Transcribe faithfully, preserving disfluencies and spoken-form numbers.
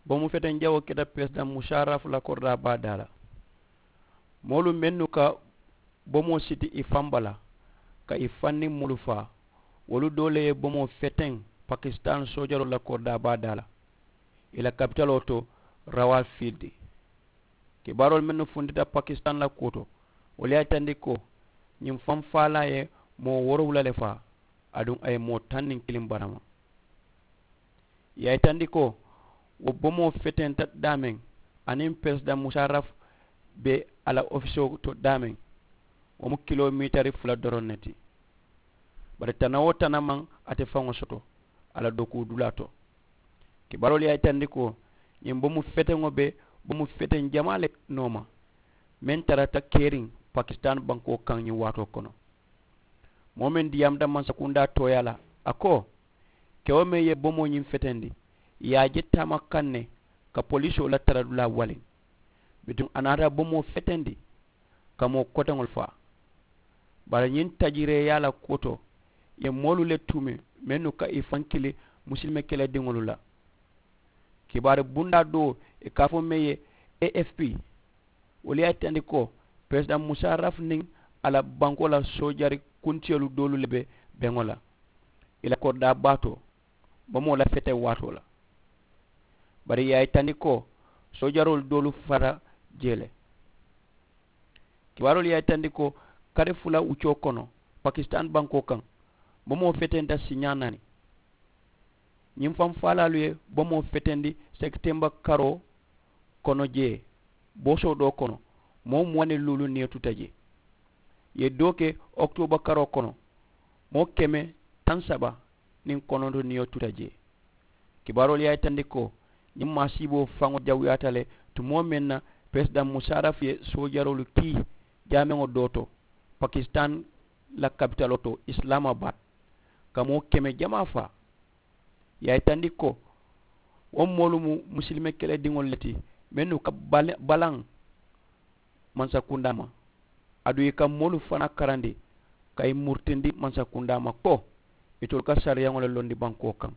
Bomu feteŋ jawoo keta peresidaŋ musaaraf la koridaa baa daa la. Moolu mennu ka bomoo siti i faŋ bala ka i faŋ niŋ moolu faa, wolu doo le ye bomoo feteŋ pakisitaani soojaroolu la koridaa baa daa la, i la kapitaloo to, rawaa fiilidi. Kibaaroolu mennu funtita pakisitaani la kuwo to, wolu ye a yitandi ko ñiŋ faŋ faalaa ye moo woorowula le faa, aduŋ a ye moo taŋ niŋ kiliŋ barama. Ì ye a yitandi ko wo bomoo fetenta daameŋ aniŋ peresidaŋ musaaraf be a la ofisoo to daameŋ, wo mu kilomiitari fula doroŋ ne ti. Bari tana-wo-tana maŋ ate faŋo soto a la dokuu dulaa to. Kibaaroolu ye a yitandi ko ñiŋ bomu feteŋo be bomu feteŋ jamaa le nooma meŋ tarata keeriŋ pakisitaani bankoo kaŋ ñiŋ waatoo kono. Moo meŋ diyaamuta mansakundaa tooyaa la, a ko kewo meŋ ye bomoo ñiŋ fetendi, ì ye a je taama kaŋ ne ka poliisoo la taradulaa waliŋ. Bituŋ a naata bomoo fetendi ka moo koteŋolu faa. Bari ñiŋ tajireeyaa la kuwo to, ì ye moolu le tuumi mennu ka ì faŋ kili musilime kelediŋolu la. Kibaari bundaa doo ì ka a fo meŋ ye, afp, wolu ye a yitandi ko peresidaŋ musaaraf niŋ a la bankoo la soojari kuntiyolu doolu le be beŋo la ì la koridaa baa to, bomoo la feteŋ waatoo la. Bari ì ye a yitandi ko soojaroolu doolu fata jee le. Kibaaroolu ye a yitandi ko kari fula wuccoo kono pakisitaani bankoo kaŋ, bomoo fetenta siiñaa naani. Ñiŋ faŋ faalaalu ye bomoo fetendi sekitemba karoo kono jee boosoo doo kono, moo muwaŋ niŋ luulu niyo tuta jee. Ì ye doo ke okitooba karoo kono, moo keme taŋ saba niŋ kononto niyo tuta jee. Kibaaroolu ye a yitandi ko ñiŋ maasiiboo faŋo jawuyaata le tumoo meŋ na peresidaŋ musaaraf ye soojaroolu kii jaameŋo doo to pakisitaani la kapitaloo to, isilaamabaad, ka moo keme jamaa faa. Ì ye a yitandi ko wo moolu mu musilime kelediŋolu le ti mennu ka balaŋ mansakundaa ma, aduŋ ì ka moolu fanaa karandi ka ì murutindi mansakundaa ma ko itolu ka sariyaŋo le londi bankoo kaŋ.